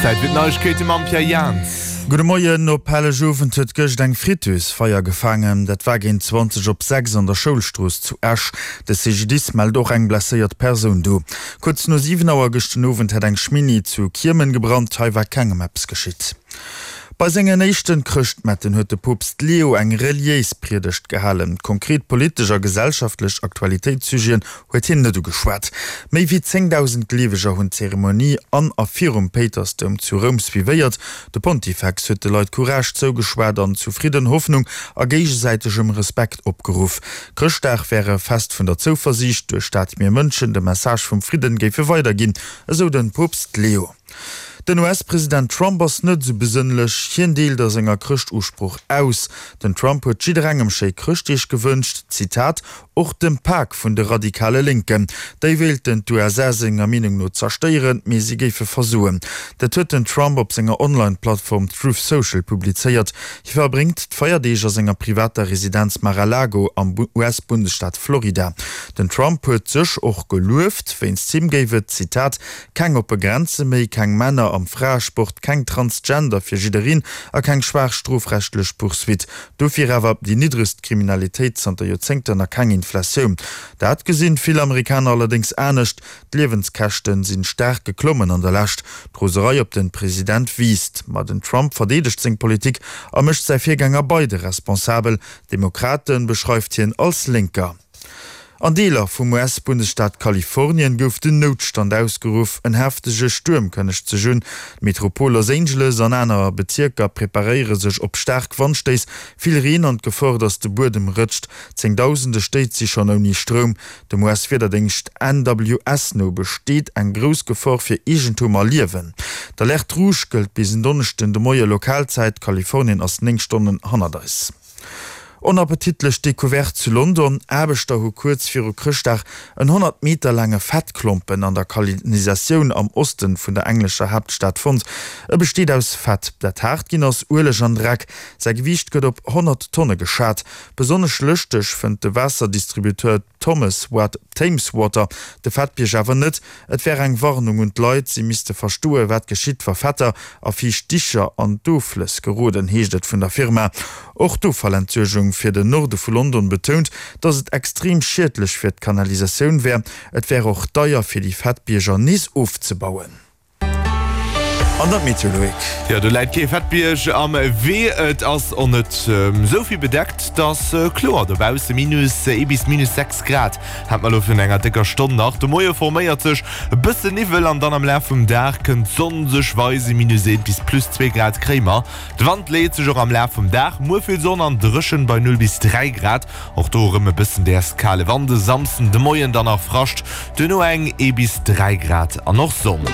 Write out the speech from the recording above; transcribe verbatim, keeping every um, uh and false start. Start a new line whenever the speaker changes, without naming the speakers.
Zäit fir d'Neiegkeete mam Pierre Jans.
Gudde Moien. Op Hellegowend huet gëscht eng Friteuse Feier gefaangen. Dat war géint zwanzeg op sechs an der Schoulstrooss zu Esch. De C G D I S mellt och eng blesséiert Persoun do. Kuerz no siwen Auer gëscht den Owend hätt eng Schminni zu Kiemen gebrannt. Hei war kengem eppes geschitt. Bei sengen éischten Chrëschtmetten huet de Poopst Leo eng reliéis Priedegt gehalen. Konkret politesch a gesellschaftlech Aktualitéitssujeten huet hien net ugeschwat. Méi wéi zéngdausend Gleeweger hunn d'Zeremonie an a virum Péitersdoum zu Roum suivéiert. De Pontifex huet de Leit Courage zougeschwat an zu Fridden, Hoffnung a géigesäitegem Respekt opgeruff. Chrëschtdag wär e Fest vun der Zouversiicht, duerch dat mir Mënschen de Message vum Fridden géife weiderginn, esou de Poopst Leo. Den U S-President Trump ass net esou besënnlech, hien deelt a senger Chrëschtusprooch aus. Den Trump huet jidderengem schéi Chrëschtdeeg gewënscht, Zitat, och dem Pak vun de radikale Lénken. Déi wéilten d'U S A senger Meenung no zerstéieren, mee si géife versoen. Dat huet den Trump op senger Online-Plattform Truth Social publizéiert. Hie verbréngt d'Feierdeeg a senger privater Residenz Mar-a-Lago am U S-Bundesstaat Florida. Den Trump huet sech och gelueft, wéinst him géif et, Zitat, keng oppe Grenze méi, keng Männer am Fraesport, keng Transgender fir jiddereen a keng schwaach strofrechtlech Poursuite. Dofir awer déi niddregst Kriminalitéit zanter Joerzéngten a keng Inflatioun. Dat gesinn vill Amerikaner allerdéngs anescht. D'Liewenskäschten sinn staark geklommen an der Lescht. D'Roserei op den President wiisst. Ma den Trump verdeedegt seng Politik a mécht säi Virgänger Biden responsabel. D'Demokrate beschreift hien als Lénker. An Deeler vum U S-Bundesstaat Kalifornien gouf den Noutstand ausgeruff. En heftege Stuerm kënnegt sech un. D'Metropol Los Angeles an aner Bezierker preparéiere sech op staark Wandstéiss, vill Reen an d'Gefor, datt de Buedem rëtscht. Zéngdausende Stéit si schonn ouni Stroum. Dem U S-Wiederdéngscht N W S no besteet eng grouss Gefor fir Eegentum a Liewen. D'Alerte rouge gëllt bis en Donneschden de Moie Lokalzäit. Kalifornien ass néng Stonnen hannert eis. Onappetitlech Decouverte zu London, Aarbechter hu kuerz viru Chrëschtdag en honnert Meter laange Fettklompen an der Kanalisatioun am Oste vun der englescher Haaptstad fonnt. E besteet aus Fett, dat haart ginn ass, Ueleg an Dreck. Säi Gewiicht gëtt op honnert Tonne geschat. Besonnesch lëschteg fënnt de Waasserdistributeur Thomas Wat Thames Water de Fettbierg awer net. Et wär eng Warnung un d'Leit, si misste verstoen, wat geschitt, wa Fetter a fiicht Dicher an d'Offlëss geroden, heescht et vun der Firma. Och d'Offallentsuergung fir den Norde vu London betount, datt et extrem schiedlech fir d'Kanalisatioun wär. Et wär och deier fir déi Fettbierger nees ofzebauen. An dat Meteo, Loïc.
Jo, do läit kee Fettbierg am Wee. Et ass och net esou vill bedeckt, et ass kloer dobausse. Minus ee bis minus sechs Grad hat mer elo virun enger décker Stonn nach. De Moie forméiert sech e bësse Niwwel an dann am Laf vum Dag kënnt d'Sonn sech weisen. Minus eent bis plus zwee Grad kréie mer. De Wand leet sech och am Laf vum Dag. Muer vill Sonn an dréchen bei null bis dräi Grad. Och do erëm e bëssen däers kale Wand. E Samsden de Moien dann nach Frascht, duerno eng ee bis dräi Grad an och Sonn.